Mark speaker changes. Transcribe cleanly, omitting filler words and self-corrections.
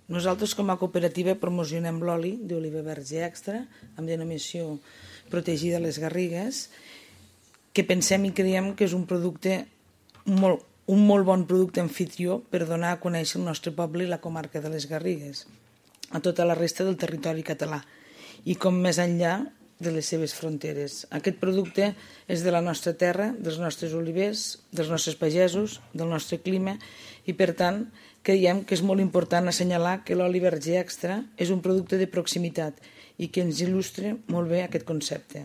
Speaker 1: Nosaltres com a cooperativa promocionem l'oli d'oliva verge extra amb denominació protegida Les Garrigues, que pensem i creiem que és un molt bon producte anfitrió per donar a conèixer el nostre poble i la comarca de Les Garrigues a tota la resta del territori català i com més enllà de les seves fronteres. Aquest producte és de la nostra terra, dels nostres olivers, dels nostres pagesos, del nostre clima i per tant creiem que és molt important assenyalar que l'oli verge extra és un producte de proximitat i que ens il·lustra molt bé aquest concepte.